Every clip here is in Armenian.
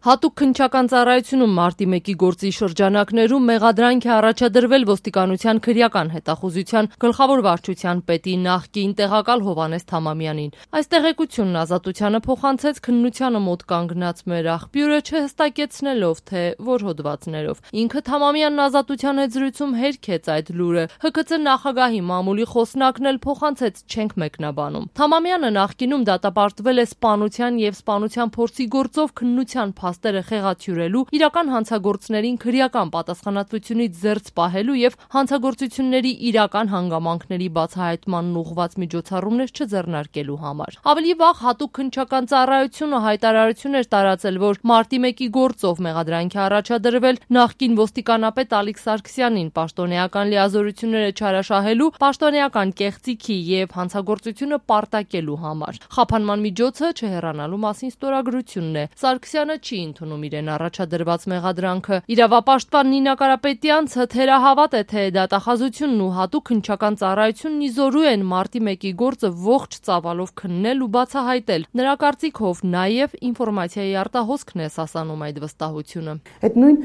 Հատուկ քննչական ծառայությունում մարտի 1-ի գործի շրջանակներում մեղադրանք է առաջադրվել ոստիկանության քրեական հետախուզության գլխավոր վարչության պետի նախկին տեղակալ Հովհաննես Թամամյանին։ Այս տեղեկությունն Ազատությանը փոխանցեց քննությանը մոտ կանգնած մեր աղբյուրը, չհստակեցնելով թե որ հոդվածներով։ Ինքը Թամամյանն Ազատության հետ զրույցում հերքեց այդ լուրը։ ՀԿՑ նախագահի մամուլի խոսնակն էլ փոխանցեց չենք մեկնաբանում։ Թամամյանը նախկինում դատապարտվել է սպանության եւ սպանության փորձի գործով քննության փաստերը խեղաթյուրելու, իրական հանցագործներին քրեական պատասխանատվությունից զերծ պահելու եւ հանցագործությունների իրական հանգամանքների բացահայտմանն ուղղված միջոցառումներ չձեռնարկելու համար։ Ավելի վաղ հատուկ քննչական ծառայությունը հայտարարություն էր տարածել, որ մարտի 1-ի գործով մեղադրանք է առաջադրվել նախկին ոստիկանապետ Ալիկ Սարգսյանին պաշտոնեական լիազորությունները չարաշահելու, պաշտոնեական կեղծիքի եւ հանցագործությունը պարտակելու համար։ Խափանման միջոցը չհեռանալու մասին ստորագրությունն է։ Սարգսյանը չի ընդունում իրեն առաջադրված մեղադրանքը։ Իրավապաշտպան Նինա Կարապետյանցը թերահավատ է, թե դատախազությունն ու հատուկ քննչական ծառայությունն իզորու են մարտի 1-ի գործը ողջ ծավալով քննել ու բացահայտել։ Նրա կարծիքով նաև ինֆորմացիայի արտահոսքն է սասանում այդ վստահությունը։ Այդ նույն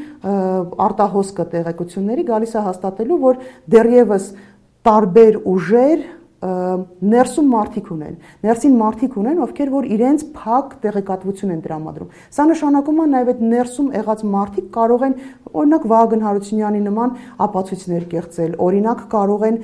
արտահոսքը տեղեկությունների գալիս է հաստատելու, որ դեռևս տարբեր ուժեր ներսում մարդիկ ունեն, ովքեր որ իրենց փակ տեղեկատվություն են տրամադրում։ Սա նշանակում է նաև այդ ներսում եղած մարդիկ կարող են օրինակ Վահագն Հարությունյանի նման ապացույցներ կեղծել, օրինակ կարող են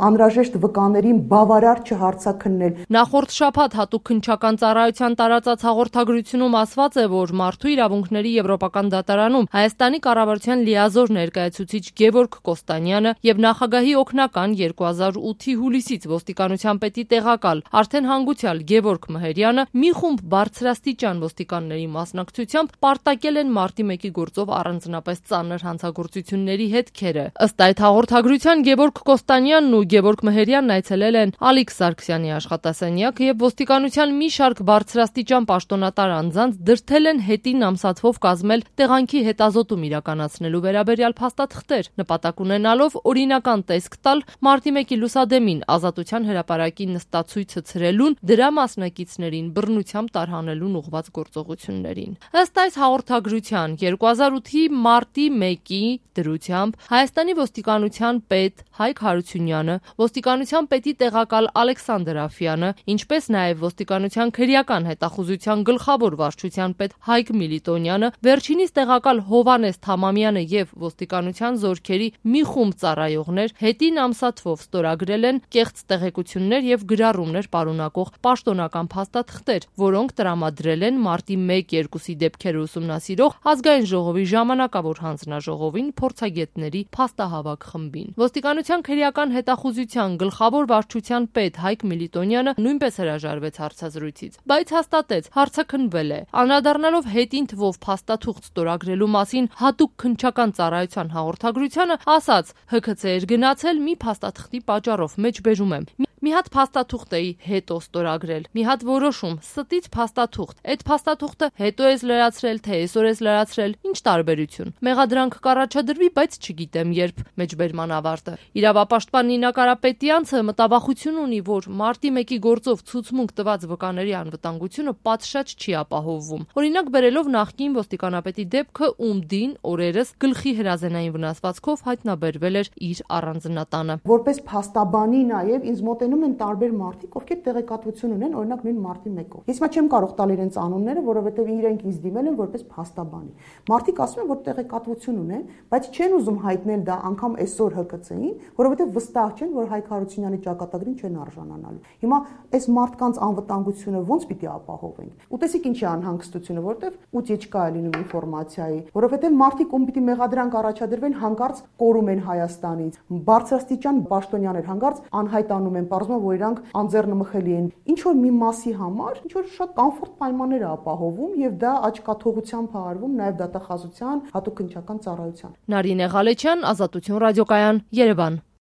անհրաժեշտ վկաներին բավարար չհարցաքննել։ Նախորդ շաբաթ հատուկ քննչական ծառայության տարածած հաղորդագրությունում ասված է, որ Մարդու իրավունքների եվրոպական դատարանում Հայաստանի կառավարության լիազոր ներկայացուցիչ Գևորգ Կոստանյանը եւ նախագահի օգնական 2008-ի հուլիսից ոստիկանության պետի տեղակալ արդեն հանգուցյալ Գևորգ Մհերյանը մի խումբ բարձրաստիճան ոստիկանների մասնակցությամբ պարտակել են մարտի 1-ի գործով առանձնապես ծանր հանցագործությունների հետքերը։ Ըստ այդ հաղորդագրության Գևորգ Կոստանյանն ու Գևորգ Մհերյանն այցելել են Ալիկ Սարգսյանի աշխատասենյակ եւ ոստիկանության մի շարք բարձրաստիճան պաշտոնատար անձանց դրդել են հետին ամսաթվով կազմել տեղանքի հետազոտում իրականացնելու վերաբերյալ փաստաթղթեր, նպատակ ունենալով օրինական տեսք տալ մարտի 1-ի լուսադեմին Ազատության հրապարակի նստացույցը ցրելուն, դրա մասնակիցներին բռնությամբ տարհանելուն ուղղված գործողություններին։ Ըստ այս հաղորդագրության 2008-ի մարտի 1-ի դրությամբ Հայաստանի ոստիկանության պետ Հայկ Հարությունյանը, ոստիկանության պետի տեղակալ Ալեքսանդր Աֆյանը, ինչպես նաև ոստիկանության քրեական հետախուզության գլխավոր վարչության պետ Հայկ Միլիտոնյանը, վերջինիս տեղակալ Հովհաննես Թամամյանը եւ ոստիկանության զորքերի մի խումբ ծառայողներ հետին ամսաթվով ստորագրել են կեղծ տեղեկություններ եւ գրառումներ պարունակող պաշտոնական փաստաթղթեր, որոնք տրամադրել են մարտի 1-2-ի դեպքերը ուսումնասիրող ազգային ժողովի ժամանակավոր հանձնաժողովին փորձագետների փաստահավաք խմբին։ Ոստիկանության քրեական հետախուզության գլխավոր վարչության պետ Հայկ Միլիտոնյանը նույնպես հրաժարվեց հարցազրույցից, բայց հաստատեց հարցաքննվել է։ Անդրադառնալով հետին թվով փաստաթուղթ ստորագրելու մասին հատուկ քննչական ծառայության հաղորդագրությանը ասաց. ՀՔՑ էր գնացել մի փաստաթղթի պատճառով, մեջբերում եմ։ Մի հատ փաստաթուղթ էի հետո ստորագրել, մի հատ որոշում, ստից փաստաթուղթ։ Այդ փաստաթուղթը հետո ես լրացրել, թե այսօր ես լրացրել, ինչ տարբերություն։ Մեղադրանք կառաջադրվի, բայց չգիտեմ երբ, մեջբերման ավարտը։ Իրավապաշտպան Նինա Կարապետյանցը մտավախություն ունի, որ մարտի 1-ի գործով ցուցմունք տված վկաների անվտանգությունը պատշաճ չի ապահովվում։ Օրինակ բերելով նախկին ոստիկանապետի դեպքը, ում դին օրերս գլխի հրազենային վնասվածքով հայտնաբերվել էր իր առանձնատանը։ Որպես փաստաբանի նաև ինձ մոտենում են տարբեր մարդիկ, ովքեր տեղեկատվություն ունեն, օրինակ նույն մարտի 1-ով։ Ես չեմ կարող տալ իրենց անունները, որովհետև իրենք ինձ դիմել են որպես փաստաբանի։ Մարդիկ ասում են, որ տեղեկատվություն ունեն, բայց չեն ուզում հայտնել դա անգամ այսօր ՀԿՑ-ին, որովհետև վստահ չեն, որ Հայկ Հարությունյանի ճակատագրին չեն արժանանալու։ Հիմա այս մարդկանց անվտանգությունը ո՞նց պիտի ապահովենք։ Ուտեսիք ինչի անհանգստությունը, որովհետև ուտիեչկա է լինում ինֆորմացիայի, որովհետև մարդիկ ում պիտի մեղադրանք առաջադրվեն, հանկարծ կորում են Հայաստանից։ Բարձրաստիճան պաշտոնյաներ հանկարծ անհայտանում են, պարզվում է, որ իրանք անձեռնմխելի են։ Ինչ որ մի մասի համար, ինչ որ շատ կոմֆորտ պայմաններ է ապահովում եւ դա աչքաթողությամբ է արվում նաեւ դատախազության հատուկ քննչական ծառայության։ Նարինե Ղալեչյան, Ազատություն ռադիոկայան, Երևան։